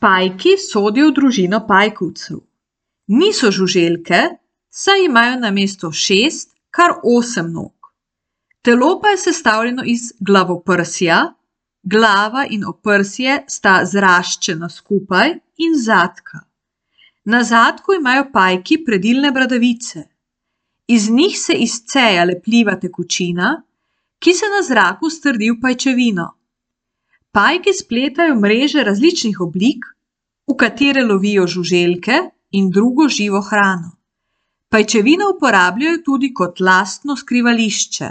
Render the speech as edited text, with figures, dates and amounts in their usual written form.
Pajki sodijo v družino pajkovcev. Niso žuželke, saj imajo namesto 6 kar 8 nog. Telo pa je sestavljeno iz glavoprsja, glava in oprsje sta zraščena skupaj in zadka. Na zadku imajo pajki predilne bradavice. Iz njih se izceja lepljiva tekočina, ki se na zraku strdi v pajčevino. Pajki spletajo mreže različnih oblik, v katere lovijo žuželke in drugo živo hrano. Pajčevino uporabljajo tudi kot lastno skrivališče.